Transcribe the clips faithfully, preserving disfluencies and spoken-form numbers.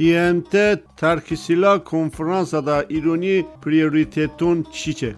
И М Т ترک سلاح کنفرانس دا ایرانی پریوریتتون چیچه؟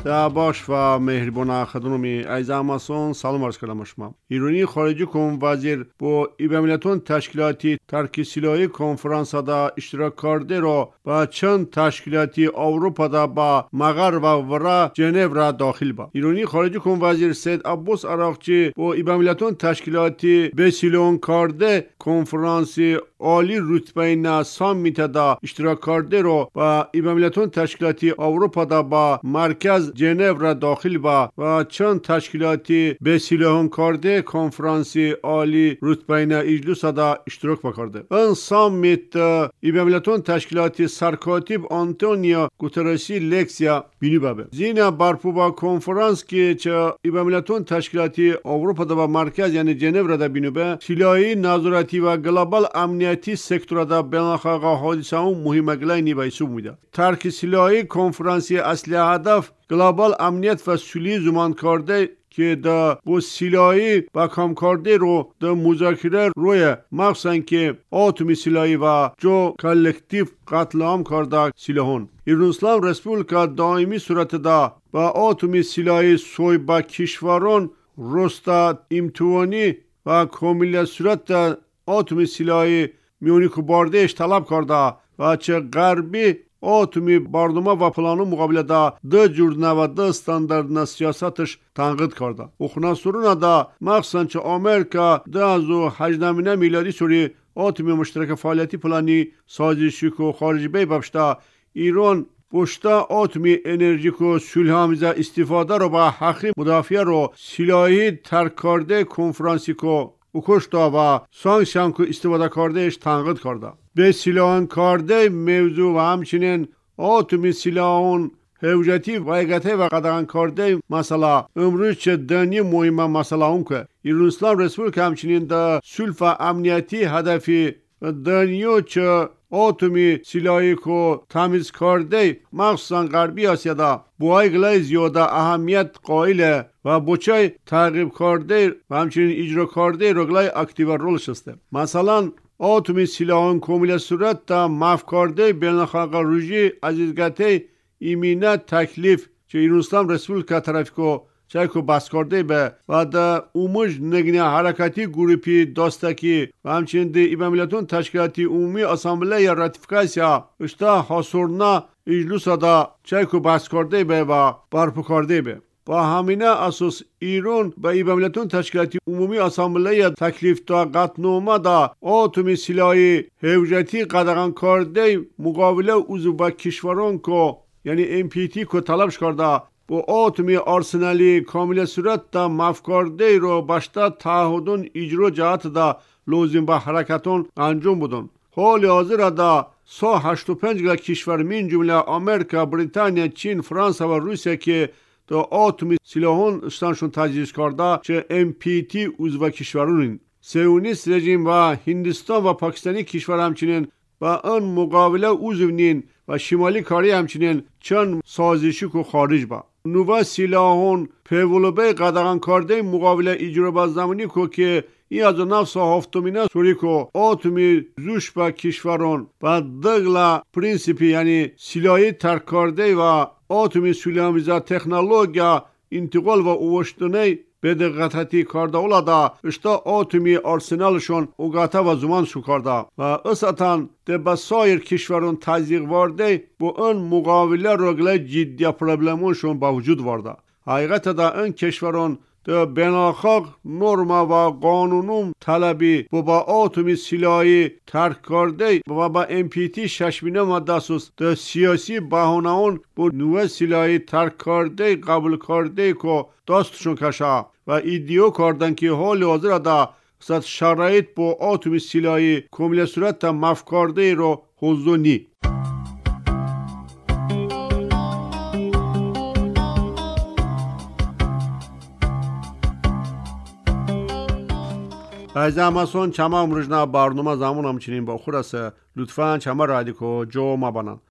دا باش و مهربان خدونمی از اماسون سلام عرض کردم شما. ایرانی خارجی کن وزیر با ایباملتون تشکیلاتی ترک سلاحی کنفرانس دا اشتراک کرده را با چند تشکیلاتی اروپا دا با مغر و ورا ژنو را داخل با. ایرانی خارجی کن وزیر سید عباس عراقچی با ایباملتون تشکیلاتی بسیلون کرده کنفرانس عالی رتبه نه سامیت دا اشتراک کرده را با ایباملتون تشکیلاتی اروپا دا با مرکز ژنو را داخل با و چند تشکیلاتی به سلاحان کرده کنفرانس عالی رتبه نه اجلاس دا اشتراک کرده. این سامیت ایباملتون تشکیلاتی سرکاتب آنتونیو گوترسی لکسیا بینی بابه. زینا برپو با کنفرانس که چه ایباملتون تشکیلاتی اروپا دا با مرکز یعنی ژنو را دا بینی به سلاحی نظارتی و گلوبال امنیتی سکتور دا بین‌المللی حادثه مهم گلاینی به حساب میده. ترک سلاحی کنفرانسی اصلی هدف گلوبال امنیت و صلح زمان کرده که دا با سلاحی و کام کرده رو دا مذاکره روی مخصوصا که اتمی سلاحی و جو کلکتیو قتل عام کرده سلاحون. ایران اسلام رسپوبلیکا دائمی صورت دا با اتمی سلاحی سوی با کشوران رستا امتوانی و کامل صورت دا اتمی سلاحی میونی که باردهش طلب کرده و چه غربی اتمی برنامه و پلانو مقابله دا دو جورنه و دو استانداردنا سیاستش تنقید کرده. اخنا دا مخصوصا چه آمریکا دو از و هجده میلادی سوری اتمی مشترک فعالیتی پلانی سازشی که خارجی بی ببشتا ایران پشتا اتمی انرژی که صلح آمیز استفاده رو با حقی مدافعه رو سلاحی ترک کرده کنفرانسی که اکشتا و سانکسیون که استفاده کردهش تنقید کرده. به سلاحان کرده موضوع و همچنین اتمی سلاحان حوجتی و ایگته و قدغن کرده مسئله امروز چه دنی مهم مسئله اون که ایران اسلام رسپوبلیک همچنین در صلح و امنیتی هدفی دنیا چه اتمی سلاحی که تمیز کرده مخصوصا غربی آسیا دا با گلای زیاده اهمیت قائله و بچه تعقیب کرده و همچنین اجرا کرده رگلای اکتیو رولش است. مثلا اتمی سلاحان کامل صورت تا مف کرده بین‌المللی روژی عزیزگته ایمینه تکلیف چه ایران اسلام رسپوبلیکا ترافیکو چه بس کرده به و در اموج نگنه حرکتی گروپی داستکی و همچنین در ایباملتون تشکیلاتی عمومی اسامبله یا راتیفیکاسیا اشتا حاصرنا اجلوس دا چه بس کرده به و برپا کرده به. با همینه اساس ایران به ایباملتون تشکیلاتی عمومی اسامبله یا تکلیف تا قطعنامه دا اتمی سلاحی حوجتی قدغن کرده مقابله عضو با کشوران که یعنی ام پی تی که طلبش کرده با اتمی آرسنالی کامل صورت دا مفکرده رو باشتا تعهدون اجرا جهت دا لازم با حرکتون انجام بدن. حال حاضر دا سا هشت و پنج کشور من جمله آمریکا، بریتانیا، چین، فرانسه و روسیه که دا اتمی سلاحون استانشون تجهیز کرده چه ام پی تی عضو کشورونین. سیونیست رژیم و هندستان و پاکستانی کشور همچنین و آن مقابله عضو و شمالی کاری همچنین چند سازشی که خارج با. نووا سلاحون پیولوبه قدغن کرده مقابله اجرا با زمانی که که این از نفس هفتمینه سوری که اتمی زوش با کشوران و دغلا پرینسیپی یعنی سلاحی ترک کرده و اتمی سلاحامیز تکنولوژیا انتقال و اوشتنه به دقتی کرده اولادا اشتا اتمی آرسنالشون اوگاتا و زمان شو کرده و اساتان ده با سایر کشوران تزیق وارده با این مقابله رگله جدی پرابلمونشون با وجود وارده. حقیقت دا این کشوران ده بین‌المللی نرم و قانونم طلبی با با اتمی سلاحی ترک کرده و با ام پی تی شش ماده اساس ده سیاسی بهانه اون با نوع سلاحی ترک کرده قبول کرده که دستشون کشه و ایدیو کردن که حال حاضر دا شرایط با اتمی سلاحی کامل صورت مف کرده رو حضور نی. از اماسون چما امروزنا برنامه زمان همچنین با خور است. لطفاً چما رادیکو جو ما بانن.